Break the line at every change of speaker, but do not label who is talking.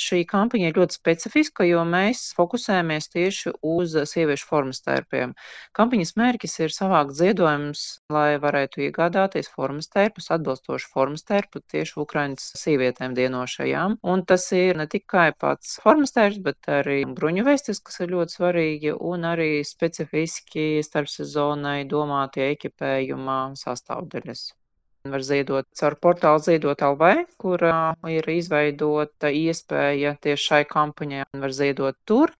šī kampaņa ir ļoti specifiska, jo mēs fokusējamies tieši uz sieviešu formas tērpiem. Kampaņas mērķis ir savākt ziedojumus, lai varētu iegādāties formas tērpus, atbilstošu formas tērpu tieši Ukrainas sievietēm dienošajām. Un tas ir ne tikai pats formas tērps, bet arī bruņuvestis, kas ir ļoti svarīgi, un arī specifiski starpsezonai domātie ekipējuma sastāvdaļas. Var ziedot caur portālu Ziedot LV, kurā ir izveidota iespēja tieši šai kampaņai, un var ziedot tur.